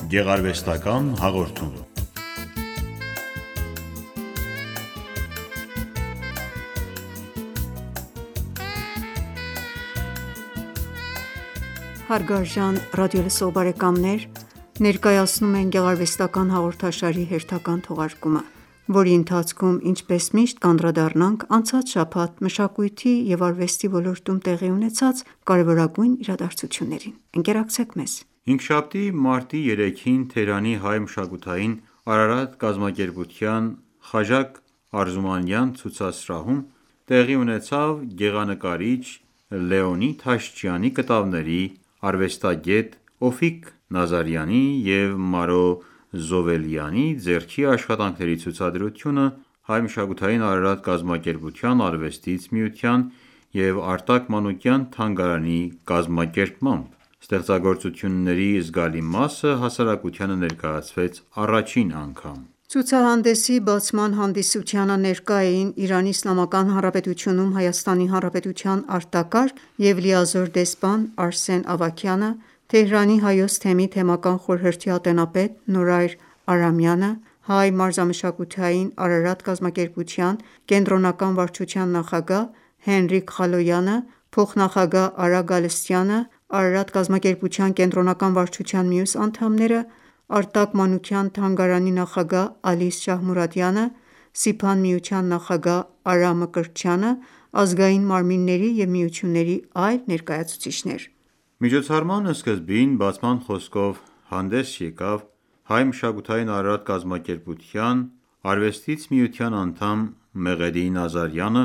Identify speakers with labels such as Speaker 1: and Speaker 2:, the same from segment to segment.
Speaker 1: Գեղարվեստական հաղորդում։
Speaker 2: Հարգարժան ռադիոլսող բարեկամներ, ներկայացնում ենք գեղարվեստական հաղորդաշարի հերթական թողարկումը, որի ընթացքում ինչպես միշտ կանդրադառնանք անցած շաբաթ մշակույթի և արվեստի ոլորտում տեղի ունեցած կարևորագույն իրադարձություններին: Ընկերակցեք մեզ:
Speaker 1: Հինգշաբթի մարտի 3-ին Թեհրանի հայ մշակութային Արարատ կազմակերպության Խաժակ Արզումանյան ցուցասրահում տեղի ունեցավ գեղանկարիչ Լեոնիդ Հաշչյանի կտավների, արվեստագետ Օֆիկ Նազարյանի և Մարո Զովելյանի ձեռքի աշխատանքների ցուցադրությունը Հայ մշակութային Արարատ կազմակերպության Արվեստից միության և Արտակ Մանուկյան թանգարանի կազմակերպմամբ: Ստեղծագործությունների զգալի մասը հասարակությանը ներկայացվեց առաջին անգամ:
Speaker 2: Ցուցահանդեսի բացման հանդիսությանը ներկա էին ԻԻՀ-ում Հայաստանի Հանրապետության արտակարգ և լիազոր դեսպան Արսեն Ավագյանը, Թեհրանի Հայոց թեմի թեմական խորհրդի ատենապետ Նորայր Արամյանը, Հայ մարզամշակութային Արարատ կազմակերպության կենտրոնական վարչության նախագահ Հենրիկ Խալոյանը, փոխնախագահ Արա Գալստյանը, Արարատ կազմակերպության կենտրոնական վարչության մյուս անդամները, Արտակ Մանուկյան թանգարանի նախագահ Ալիս Շահմուրադյանը, Սիփան միության նախագահ Արա Մկրտչյանը, ազգային մարմինների և միությունների այլ ներկայացուցիչներ:
Speaker 1: Միջոցառման սկզբին բացման խոսքով հանդես եկավ Հայ մշակութային Արարատ կազմակերպության Արվեստից միության անդամ Մեղեդի Նազարյանը,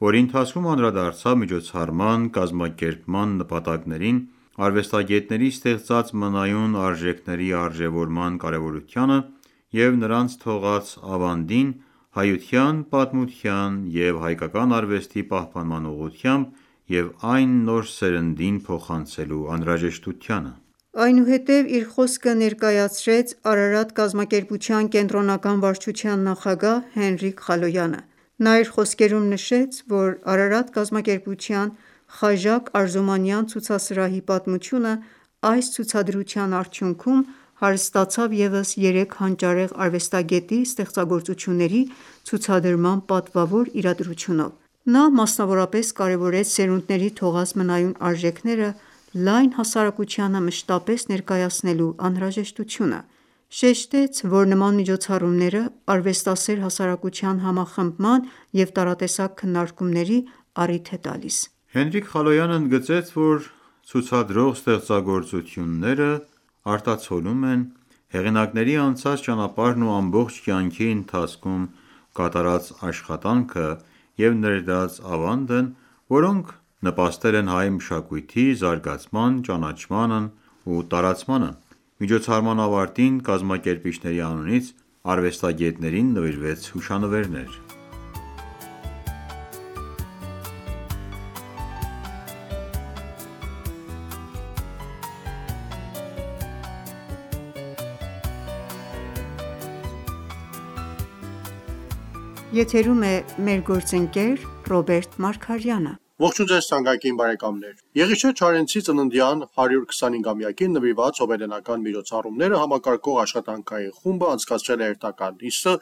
Speaker 1: որի ընթացքում անդրադարձավ միջոցառման կազմակերպման նպատակներին, արվեստագետների ստեղծած մնայուն արժեքների արժևորման կարևորությանը և նրանց թողած ավանդին հայության, պատմության և հայկական արվեստի պահպանման ուղղությամբ և այն նոր սերնդին փոխանցելու անհրաժեշտությանը:
Speaker 2: Այնուհետև իր խոսքը ներկայացրեց Արարատ կազմակերպության կենտրոնական վարչության նախագահ Հենրիկ Խալոյանը: Նա իր խոսքերում նշեց, որ Արարատ կազմակերպության Խաժակ Արզումանյան ցուցասրահի պատմությունը այս ցուցադրության արդյունքում հարստացավ ևս 3 հանճարեղ արվեստագետի ստեղծագործությունների ցուցադրման պատվավոր իրադրությունով: Նա մասնավորապես կարևորեց սերունդների թողած մնայուն արժեքները լայն հասարակությանը մշտապես ներկայացնելու անհրաժեշտությունը: Շեշտեց, որ նման միջոցառումները արվեստասեր հասարակության համախմբման և տարատեսակ քննարկումների առիթ է տալիս:
Speaker 1: Հենրիկ Խալոյանը ընդգծեց, որ ցուցադրող ստեղծագործությունները արտացոլում են հեղինակների անցած ճանապարհն ու ամբողջ կյանքի ընթացքում կատարած աշխատանքը և ներդրած ավանդն, որոնք նպաստել են հայ մշակույթի զարգացման, ճանաչմանն ու տարածմանը: Միջոցառման ավարտին կազմակերպիչների անունից արվեստագետներին նվիրվեց հուշանվերներ:
Speaker 3: Ողջույն ձեզ թանկագին բարեկամներ: Եղիշե Չարենցի ծննդյան 125-ամյակին նվիրված հոբելյանական միջոցառումները համակարգող աշխատանքային խումբը անցկացրել է հերթական նիստը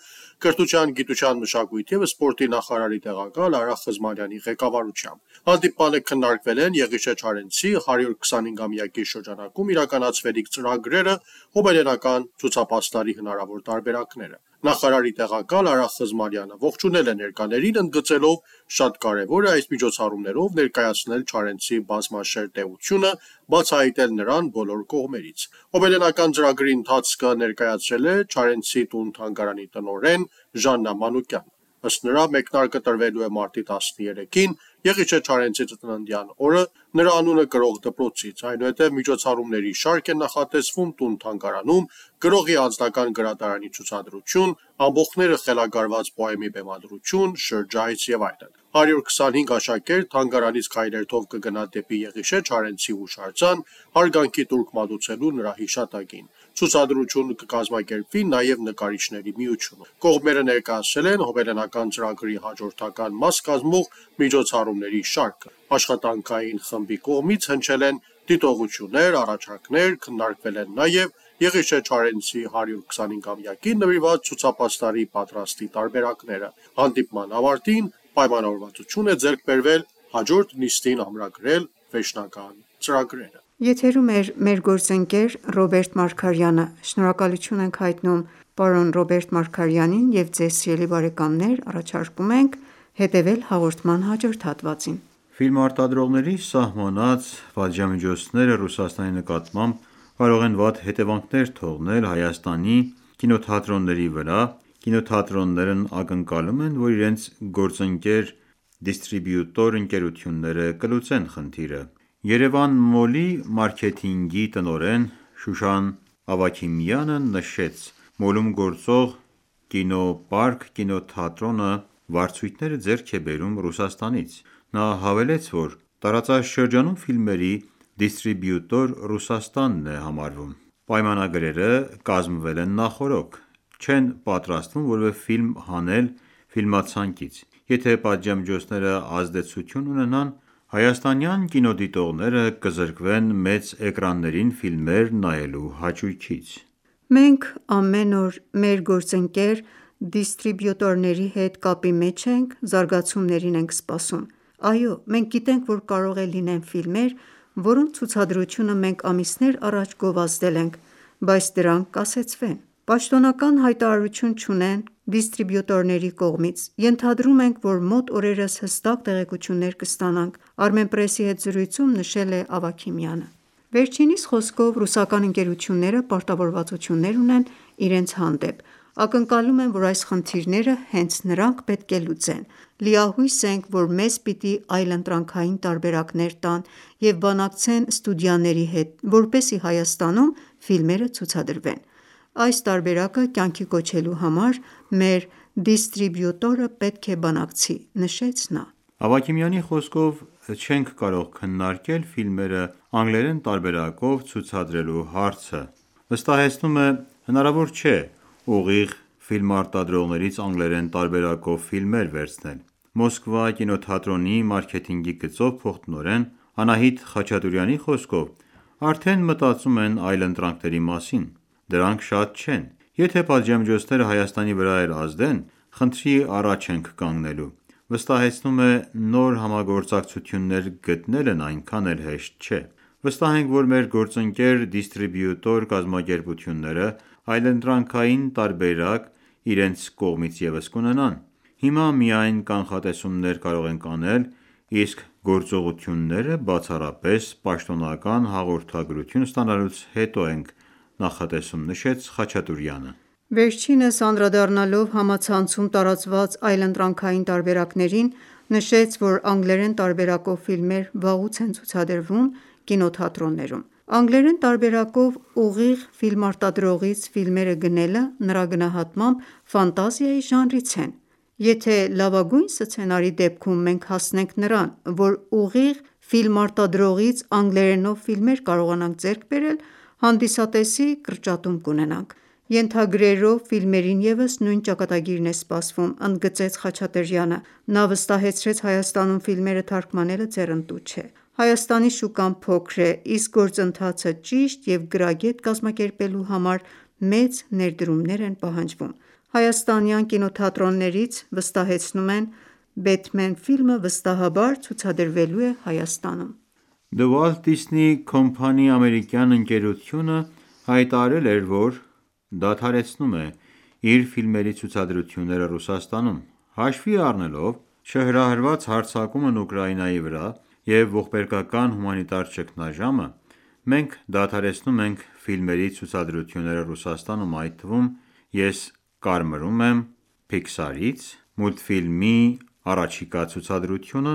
Speaker 3: Կրթության, գիտության, մշակույթի և սպորտի նախարարի տեղակալ Արա Խզմարյանի ղեկավարությամբ: Հանդիպմանը քննարկվել են Եղիշե Չարենցի 125-ամյակի շրջանակում իրականացվելիք ծրագրերը, հոբելյանական ցուցապաստառի հնարավոր տարբերակները: Նախարարի տեղակալ Արա Խզմարյանը ողջունել է ներկաներին, ընդգծելով շատ կարևոր է այս միջոցառումներով ներկայացնել Չարենցի բազմաշերտ էությունը, բացահայտել նրան բոլոր կողմերից: Հոբելյանական ծրագրի ընթացքը ներկայացրել է Չարենցի տուն-թանգարանի տնօրեն Ժաննա Մանուկյանը: Ըստ նրա, մեկնարկը տրվելու է մարտի 13-ին Եղիշե Չարենցի ծննդյան օրը նրա անունը կրող դպրոցից: Այնուհետև միջոցառումների շարք է նախատեսվում տուն-թանգարանում, գրողի անձնական գրադարանի ցուցադրություն, ամբոխները խելագարված պոեմի բեմադրություն, շրջայց և այլն: 125 աշակերտ թանգարանից քայլերթով կգնա դեպի Եղիշե Չարենցի հուշարձան հարգանքի տուրք մատուցելու նրա հիշատակին: Ցուցադրություն կկազմակերպվի նաև նկարիչների միությունում: Կողմերը ներկայացրել են հոբելյանական ծրագրի հաջորդական մաս կազմող միջոցառումների շարքը: Աշխատանքային խմբի կողմից հնչել են դիտողություններ, առաջարկներ, քննարկվել են նաև Եղիշե Չարենցի 125-ամյակին նվիրված ցուցապաստարի պատրաստի տարբերակները։ Հանդիպման ավարտին պայմանավորվածություն է ձեռք բերվել հաջորդ նիստին ամրագրել վերջնական ծրագրերը։
Speaker 2: Եթերում է մեր գործընկեր Ռոբերտ Մարգարյանը։ Շնորհակալություն ենք հայտնում պարոն Ռոբերտ Մարգարյանին և ձեզ սիրելի բարեկամներ առաջարկում ենք հետևել հաղորդման հաջորդ հատվածին։
Speaker 1: Ֆիլմարտադրողների սահմանած պատժամիջոցները Ռուսաստանի նկատմամբ կարող են վատ հետևանքներ թողնել Հայաստանի կինոթատրոնների վրա։ Կինոթատրոններն ակնկալում են, որ իրենց գործընկեր դիստրիբյուտոր ընկերությունները կլուծեն խնդիրը։ Երևան Մոլի մարքեթինգի տնօրեն Շուշան Ավագիմյանը նշեց. «Մոլում գործող ԿինոՊարկ կինոթատրոնը վարձույթները ձեռք է բերում Ռուսաստանից»։ Նա հավելեց, որ տարածաշրջանում ֆիլմերի դիստրիբյուտոր Ռուսաստանն է համարվում։ Պայմանագրերը կազմվել են նախօրոք, չեն պատրաստվում որևէ ֆիլմ հանել ֆիլմացանկից։ Եթե պատժամիջոցները ազդեցություն ունենան, հայաստանյան կինոդիտողները կզրկվեն մեծ էկրաններին ֆիլմեր նայելու հաճույքից։
Speaker 2: Մենք ամեն օր մեր գործընկեր դիստրիբյուտորների հետ կապի մեջ ենք, զարգացումներին ենք սպասում։ Այո, մենք գիտենք, որ կարող է լինեն ֆիլմեր, որոնց ցուցադրությունը մենք ամիսներ առաջ գովազդել ենք, բայց դրանք կասեցվեն, պաշտոնական հայտարարություն չունեն դիստրիբյուտորների կողմից։ Ենթադրում ենք, որ մոտ օրերս հստակ տեղեկություններ կստանանք, Armenpress-ի հետ զրույցում նշել է Ավագիմյանը։ Վերջինիս խոսքով ռուսական ընկերությունները պարտավորվածություններ ունեն իրենց հանդեպ։ Ակնկալում են, որ այս խնդիրները հենց նրանք պետք է լուծեն։ Լիահույս ենք, որ մեզ պիտի այլընտրանքային տարբերակներ տան և բանակցեն ստուդիաների հետ, որպեսզի Հայաստանում ֆիլմերը ցուցադրվեն։ Այս տարբերակը կյանքի կոչելու համար մեր դիստրիբյուտորը պետք է բանակցի, նշեց նա։
Speaker 1: Ավագիմյանի խոսքով չենք կարող քննարկել ֆիլմերը անգլերեն տարբերակով ցուցադրելու հարցը։ Վստահեցնում է, հնարավոր չէ ուղիղ ֆիլմարտադրողներից անգլերեն տարբերակով ֆիլմեր վերցնել։ Մոսկվա կինոթատրոնի մարքեթինգի գծով փոխտնօրեն Անահիտ Խաչատուրյանի խոսքով արդեն մտածում են այլընտրանքների մասին։ Դրանք շատ չեն։ Եթե պատժամիջոցները Հայաստանի վրա էլ ազդեն, խնդրի առաջ ենք կանգնելու։ Վստահեցնում է, նոր համագործակցություններ գտնելն այնքան էլ հեշտ չէ։ Վստահ ենք, որ մեր գործընկեր դիստրիբյուտոր կազմակերպությունները այլընտրանքային տարբերակ իրենց կողմից ևս կունենան։ Հիմա միայն կանխատեսումներ կարող ենք անել, իսկ գործողությունները բացառապես պաշտոնական հաղորդագրություն ստանալուց հետո ենք նախատեսում, նշեց Խաչատուրյանը։
Speaker 2: Վերջինս անդրադառնալով համացանցում տարածված այլընտրանքային տարբերակներին, նշեց, որ անգլերեն տարբերակով ֆիլմեր վաղուց են ցուցադրվում կինոթատրոններում։ Անգլերեն տարբերակով ուղիղ ֆիլմարտադրողից ֆիլմերը գնելը նրա գնահատմամբ ֆանտազիայի ժանրից են։ Եթե լավագույն սցենարի դեպքում մենք հասնենք նրան, որ ուղիղ ֆիլմարտադրողից անգլերենով ֆիլմեր կարողանանք ձեռք բերել, հանդիսատեսի կրճատում կունենանք։ Ենթագրերով ֆիլմերին ևս նույն ճակատագիրն է սպասվում, ընդգծեց Խաչատրյանը։ Նա վստահեցրեց Հայաստանում ֆիլմերը թարգմանելը ձեռնտու չէ։ Հայաստանի շուկան փոքր է, իսկ գործընթացը ճիշտ և գրագետ կազմակերպելու համար մեծ ներդրումներ են պահանջվում։ Հայաստանյան կինոթատրոններից վստահեցնում են, Batman ֆիլմը վստահաբար ցուցադրվելու է Հայաստանում։
Speaker 1: The Walt Disney Company ամերիկյան ընկերությունը հայտարարել էր, որ դադարեցնում է իր ֆիլմերի ցուցադրությունները Ռուսաստանում։ Հաշվի առնելով չհրահրված հարձակումն Ուկրաինայի վրա և ողբերգական հումանիտար ճգնաժամը, մենք դադարեցնում ենք ֆիլմերի ցուցադրությունները Ռուսաստանում, այդ թվում ես կարմրում եմ Pixar-ից մուլտֆիլմի առաջիկա ցուցադրությունը,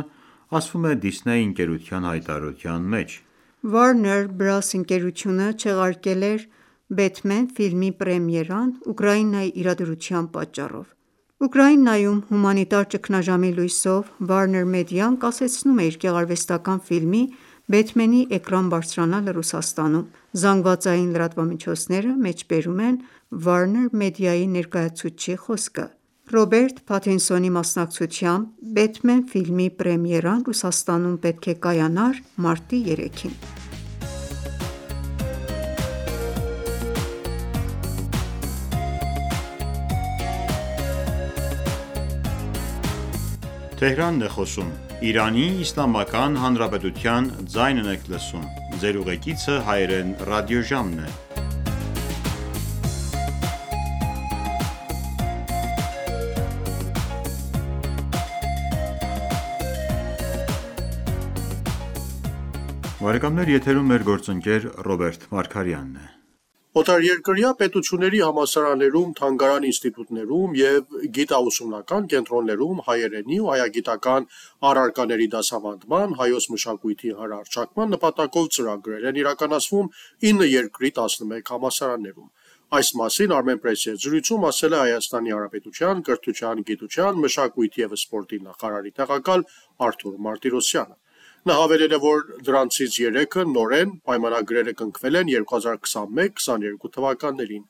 Speaker 1: ասվում է Disney ընկերության հայտարարության մեջ։
Speaker 2: Warner Bros. Ընկերությունը չեղարկել էր Batman ֆիլմի պրեմիերան Ուկրաինայի իրադրության պատճառով։ Ուկրաինայում հումանիտար ճգնաժամի լույսով Warner Media-ն կասեցնում է իր գեղարվեստական ֆիլմի Batman-ի էկրան բարձրանալը Ռուսաստանում։ Զանգվածային լրատվամիջոցները մեջբերում են Warner Media-ի ներկայացուցչի խոսքը։ Ռոբերտ Փաթինսոնի մասնակցությամբ Batman ֆիլմի պրեմիերան Ռուսաստանում պետք է կայանար մարտի 3-ին։
Speaker 1: Բարեկամներ, եթերում մեր գործընկեր Ռոբերտ Մարգարյանն է:
Speaker 3: Օտարերկրյա պետությունների համալսարաններում, թանգարան ինստիտուտներում և գիտաուսումնական կենտրոններում հայերենի ու հայագիտական առարկաների դասավանդման, հայոց մշակույթի հռչակման նպատակով ծրագրեր են իրականացվում 9 երկրի 11 համալսարաններում: Այս մասին Armenpress-ի հետ զրույցում ասել է Հայաստանի Հանրապետության կրթության, գիտության, մշակույթի և սպորտի նախարարի տեղակալ Արթուր Մարտիրոսյանը: Նա հավելել է, որ դրանցից 3-ը նորեն, պայմանագրերը կնքվել են 2021-22 թվականներին: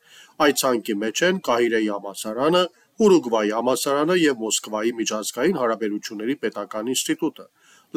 Speaker 3: Այդ ցանկի մեջ են Կահիրեի համալսարանը, Ուրուգվայի համալսարանը և Մոսկվայի միջազգային հարաբերությունների պետական ինստիտուտը: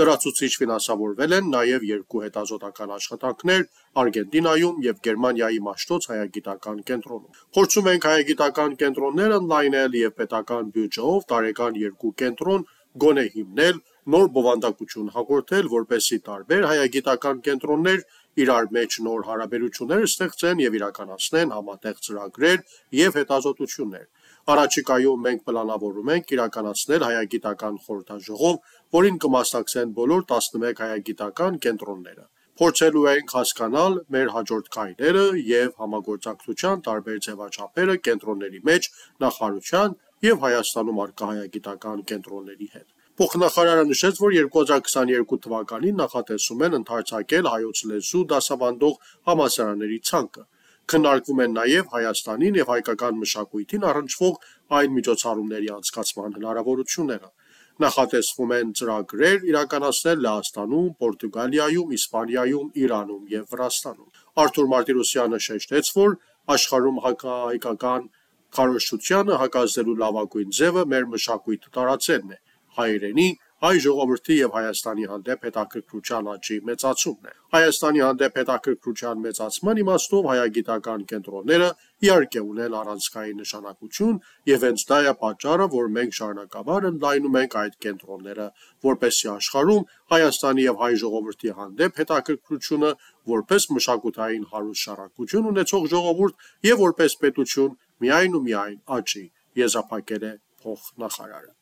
Speaker 3: Լրացուցիչ ֆինանսավորվել են նաև 2 հետազոտական աշխատանքներ Արգենտինայում և Գերմանիայի Մաշտոց հայագիտական կենտրոնում: Փորձում ենք հայագիտական կենտրոնները ընդլայնել և պետական բյուջեով տարեկան 2 կենտրոն գոնե հիմնել, նոր բովանդակություն հաղորդել, որպեսզի տարբեր հայագիտական կենտրոններ իրար մեջ նոր հարաբերություններ ստեղծեն և իրականացնեն համատեղ ծրագրեր և հետազոտություններ: Առաջիկայում մենք պլանավորում ենք իրականացնել հայագիտական խորհրդաժողով, որին կմասնակցեն բոլոր 11 հայագիտական կենտրոնները: Փորձելու ենք հասկանալ մեր հաջորդ քայլերը և համագործակցության տարբեր ձևաչափերը կենտրոնների մեջ նախարարության և Հայաստանում առկա հայագիտական կենտրոնների հետ: Փոխնախարարը նշեց, որ 2022 թվականին նախատեսում են ընդարձակել հայոց լեզու դասավանդող համալսարանների ցանկը: Քննարկվում են նաև Հայաստանին և հայկական մշակույթին առնչվող այլ միջոցառումների անցկացման հնարավորությունները: Նախատեսվում են ծրագրեր իրականացնել Լեհաստանում, Պորտուգալիայում, Իսպանիայում, Իրանում և Վրաստանում: Արթուր Մարտիրոսյանը շեշտեց, որ աշխարհում հակահայկական քարոզչությանը հակազդելու լավագույն ձևը մեր մշակույթը տարածելն է, հայրենի, հայ ժողովրդի և Հայաստանի հանդեպ հետաքրքրության աճի մեծացումն է: Հայաստանի հանդեպ հետաքրքրության մեծացման իմաստով հայագիտական կենտրոնները իհարկե ունեն առանցքային նշանակություն և հենց դա է պատճառը, որ մենք շարունակաբար ընդլայնում ենք այդ կենտրոնները, որպեսզի աշխարհում Հայաստանի և հայ ժողովրդի հանդեպ հետաքրքրությունը որպես մշակութային հարուստ շարունակություն ունեցող ժողովուրդ և որպես պետություն միայն ու միայն աճի, եզրափակել է փոխնախարարը: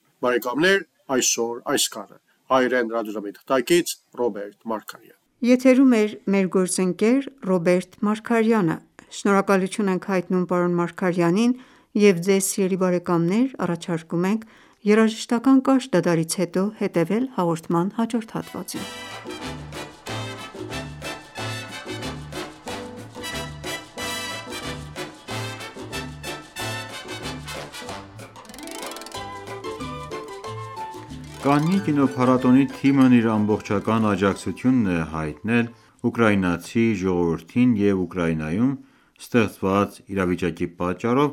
Speaker 3: Այսօր այսքանը: Հայերեն ռադիոժամի թղթակից Ռոբերտ Մարգարյան:
Speaker 2: Եթերում էր մեր գործընկեր Ռոբերտ Մարգարյանը: Շնորհակալություն ենք հայտնում պարոն Մարգարյանին և Ձեզ սիրելի բարեկամներ առաջարկում ենք երաժշտական կարճ դադարից հետո հետևել հաղորդման հաջորդ հատվածին:
Speaker 1: Կաննի կինոփառատոնի թիմն իր ամբողջական աջակցությունն է հայտնել ուկրաինացի ժողովրդին և Ուկրաինայում ստեղծված իրավիճակի պատճառով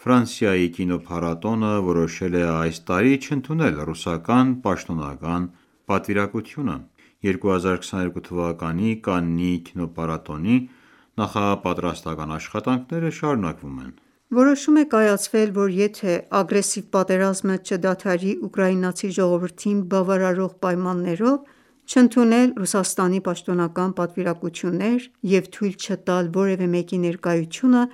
Speaker 1: Ֆրանսիայի կինոփառատոնը որոշել է այս տարի չընդունել ռուսական պաշտոնական պատվիրակությունը: 2022 թվականի Կաննի կինոփառատոնի նախապատրաստական աշխատանքները շարունակվում են:
Speaker 2: Որոշում է կայացվել, որ եթե ագրեսիվ պատերազմը չդադարի ուկրաինացի ժողովրդին բավարարող պայմաններով, չընդունել Ռուսաստանի պաշտոնական պատվիրակություններ և թույլ չտալ որևէ մեկի ներկայությունը,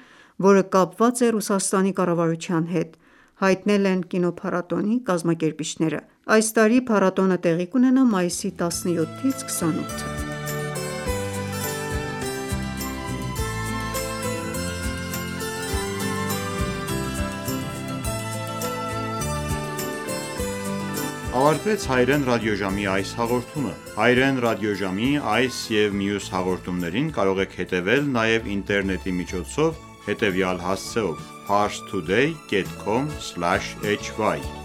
Speaker 2: որը կապված է Ռուսաստանի կառավարության հետ, հայտնել են կինոփառատոնի կազմակերպիչները: Այս տարի փառատոնը տեղի կունենա մայիսի 17-ից 28-ը:
Speaker 1: Ավարտվեց հայերեն ռադիոժամի այս հաղորդումը: Հայերեն ռադիոժամի այս և մյուս հաղորդումներին կարող եք հետևել նաև ինտերնետի միջոցով հետևյալ հասցեով՝ parstoday.com/hy